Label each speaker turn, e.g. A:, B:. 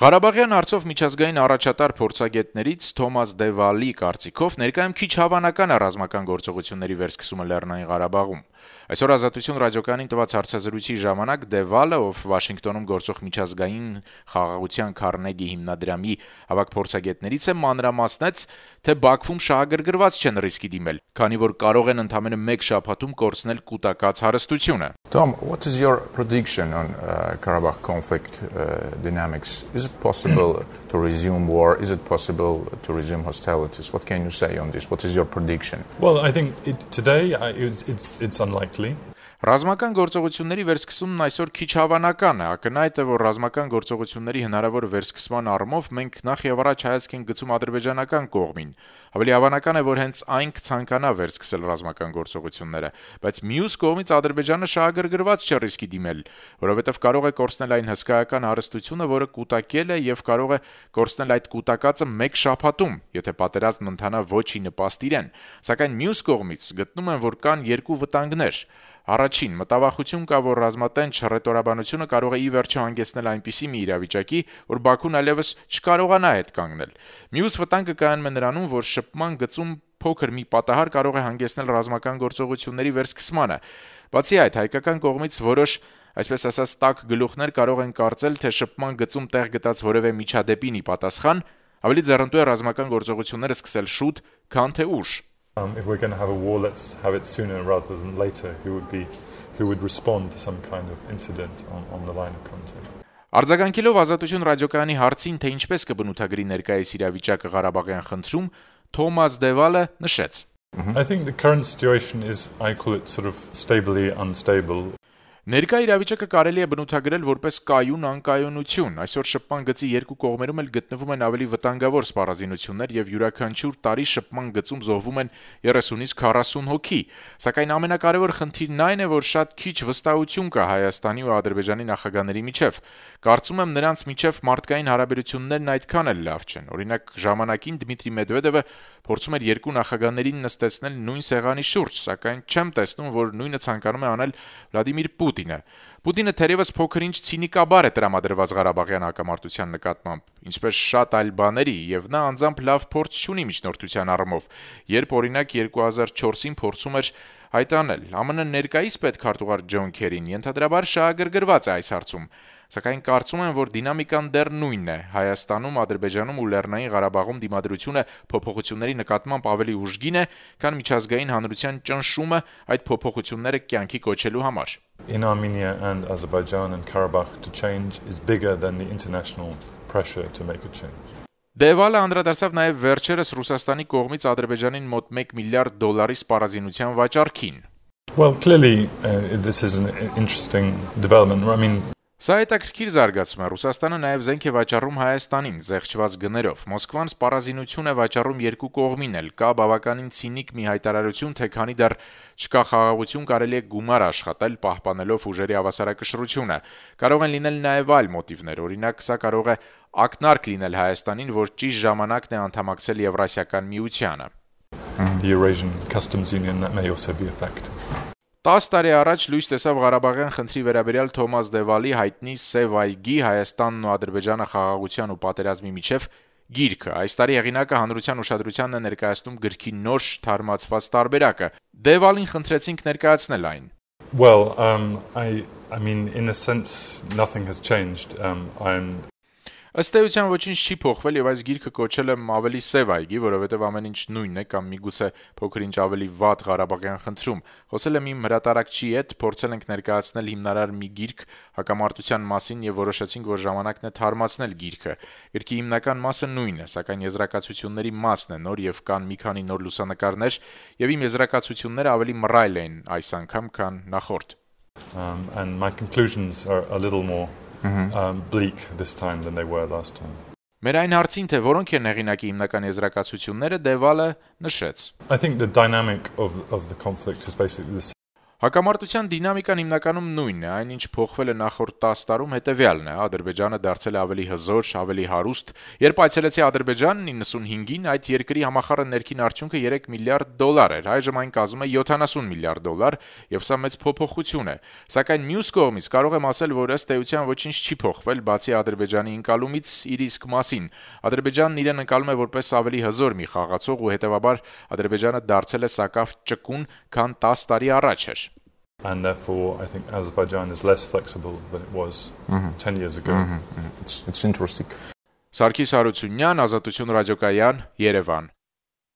A: Ղարաբաղյան հարցով միջազգային առաջատար փորձագետներից Թոմաս Դեվալի կարծիքով ներկայում քիչ հավանական է ռազմական գործողությունների վերսկսումը Լեռնային Ղարաբաղում։ Այսօր Ազատություն ռադիոկայանին տված հարցազրույցի ժամանակ Դեվալը, ով Վաշինգտոնում գործող միջազգային խաղաղության Քարնեգի հիմնադրամի ավագ փորձագետներից է, մանրամասնեց, թե Բաքվում շահագրգռված չեն ռիսկի դիմել, քանի որ կարող են ընդամենը մեկ շաբաթում կորցնել կուտակած հարստությունը։
B: Tom, what is your prediction on Karabakh conflict dynamics? Is it possible to resume war? Is it possible to resume hostilities? What can you say on this? What is your prediction?
C: Well, I think today it's unlikely.
A: Ռազմական գործողությունների վերսկսումն այսօր քիչ հավանական է, ակնհայտ է, որ ռազմական գործողությունների հնարավոր վերսկսման առումով մենք նախ եւ առաջ հայացք ենք գցում ադրբեջանական կողմին։ Ավելի հավանական է, որ հենց այն կցանկանա վերսկսել ռազմական գործողությունները, բայց մյուս կողմից Ադրբեջանը շահագրգռված չէ ռիսկի դիմել, որովհետեւ կարող է կորցնել այն հսկայական հարստությունը, որը կուտակել է, եւ կարող է կորցնել այդ կուտակածը մեկ շաբաթում, եթե պատերազմն ընթանա ոչի նպաստ իրեն։ Սակայն մյուս կողմից գտնում են, որ կան երկու վտանգներ։ Առաջին, մտավախություն կա, որ ռազմատենչ հռետորաբանությունը կարող է ի վերջո հանգեցնել այնպիսի մի իրավիճակի, որ Բաքուն այլևս չկարողանա հետ կանգնել։ Մյուս վտանգը կայանում է նրանում, որ շփման գծում փոքր մի պատահար կարող է հանգեցնել ռազմական գործողությունների վերսկսմանը։ Բացի այդ, հայկական կողմից որոշ, այսպես ասած, տաք գլուխներ կարող են կարծել, թե շփման գծում տեղ գտած որևէ միջադեպին ի պատասխան ավելի ձեռնտու է ռազմական գործողությունները սկսել շուտ, քան թե ուշ։
C: If we're going to have a war, let's have it sooner rather than later. Who would respond to some kind of incident on the line of contact?
A: Արձագանքելով Ազատություն ռադիոկայանի հարցին, թե ինչպես կբնութագրի ներկայիս իրավիճակը Ղարաբաղյան խնդրում, Թոմաս Դեվալը նշեց.
C: I think the current situation is, I call it sort of stably unstable.
A: Ներկա իրավիճակը կարելի է բնութագրել որպես կայուն անկայունություն։ Այսօր շփման գծի երկու կողմերում էլ գտնվում են ավելի վտանգավոր սպառազինություններ եւ յուրաքանչյուր տարի շփման գծում զոհվում են 30-ից 40 հոգի։ Սակայն ամենակարևոր խնդիրն այն է, որ շատ քիչ վստահություն կա Հայաստանի ու Ադրբեջանի նախագահների միջև։ Կարծում եմ նրանց միջև մարդկային հարաբերություններն այդքան էլ լավ չեն։ Օրինակ, ժամանակին Դմիտրի Մեդվեդևը փորձում էր երկու նախագահներին նստեցնել նույն սեղանի շուրջ, սակայն չեմ տեսնում, որ նույնը ցանկանում է անել Վլադիմիր Պուտինը։ Պուտինը թերևս փոքր-ինչ ցինիկաբար է տրամադրված Ղարաբաղյան հակամարտության նկատմամբ, ինչպես շատ այլ բաների, եւ նա անձամբ լավ փորձ չունի միջնորդության առումով, երբ օրինակ 2004-ին փորձում էր հայտանել ԱՄՆ ներկայիս պետքարտուղար Ջոն Քերին ենթադրաբար շահագրգռված է այս հարցում, սակայն կարծում եմ, որ դինամիկան դեռ նույնն է։ Հայաստանում, Ադրբեջանում ու Լեռնային Ղարաբաղում դիմադրությունը փոփոխությունների նկատմամբ ավելի ուժգին է, քան միջազգային հանրության ճնշումը այդ փոփոխությունները կյանքի կոչելու համար։
C: In Armenia and Azerbaijan and Karabakh to change is bigger than the international pressure to make a change.
A: Դեվալը անդրադարձավ նաև վերջերս Ռուսաստանի կողմից Ադրբեջանին մոտ $1 միլիարդ սպառազինության վաճառքին։
C: Well, clearly this is an interesting development. I mean,
A: Սա հետաքրքիր զարգացում է։ Ռուսաստանը նաև զենք է վաճառում Հայաստանին զեղչված գներով։ Մոսկվան սպառազինություն է վաճառում երկու կողմին էլ։ Կա բավականին ցինիկ մի հայտարարություն, թե քանի դեռ չկա խաղաղություն, կարելի է գումար աշխատել պահպանելով ուժերի հավասարակշռությունը։ Կարող են լինել նաև այլ մոտիվներ։ Օրինակ, սա կարող է ակնարկ լինել Հայաստանին, որ ճիշտ ժամանակն է անդամակցել Եվրասիական միությանը։
C: The Eurasian Customs Union, that may also be a factor.
A: 10 տարի առաջ լույս տեսավ Ղարաբաղյան խնդրի վերաբերյալ Թոմաս Դեվալի հայտնի Սև այգի Հայաստանն ու Ադրբեջանը խաղաղության ու պատերազմի միջև գիրքը։ Այս տարի հեղինակը հանրության ուշադրությանն է ներկայացնում գրքի նոր թարմացված տարբերակը։ Դեվալին խնդրեցինք ներկայացնել այն։
C: Well, I mean, in a sense, nothing has changed.
A: Ըստ էության ոչինչ չի փոխվել եւ այս գիրքը կոչել եմ ավելի Սև այգի, որովհետեւ ամեն ինչ նույնն է կամ միգուցե փոքր-ինչ ավելի վատ Ղարաբաղյան խնդրում։ Խոսել եմ իմ հրատարակչի հետ, փորձել ենք ներկայացնել հիմնարար մի գիրք հակամարտության մասին եւ որոշեցինք, որ ժամանակն է թարմացնել գիրքը։ Գրքի հիմնական մասը նույնն է, սակայն եզրակացությունների մասն է նոր եւ կան մի քանի նոր լուսանկարներ եւ իմ եզրակացությունները ավելի մռայլ են այս անգամ, քան նախորդ։
C: And my conclusions are a little more bleak this time than they were last time.
A: Մեր այն հարցին, թե որոնք են հեղինակի հիմնական եզրակացությունները, Դեվալը նշեց.
C: I think the dynamic of the conflict is basically the same.
A: Հակամարտության դինամիկան հիմնականում նույնն է, այն ինչ փոխվել է նախորդ 10 տարում հետևյալն է. Ադրբեջանը դարձել է ավելի հզոր, ավելի հարուստ։ Երբ այցելեցի Ադրբեջան 95-ին, այդ երկրի համախառն ներքին արդյունքը 3 միլիարդ դոլար էր, այժմ այն կազմում է 70 միլիարդ դոլար, եւ սա մեծ փոփոխություն է։ Սակայն մյուս կողմից կարող եմ ասել, որ ըստ էության ոչինչ չի փոխվել, բացի Ադրբեջանի ընկալումից իր իսկ մասին։ Ադրբեջանն իրեն ընկալում է որպես ավելի հզոր մի խաղացող ու հետեւաբար Ադրբեջանը դարձել է սակավ ճկուն, քան 10 տարի առաջ էր։
C: And therefore, I think Azerbaijan is less flexible than it was 10 years ago.
B: It's interesting.
A: Սարգիս Հարությունյան, Ազատություն ռադիոկայան, Երևան։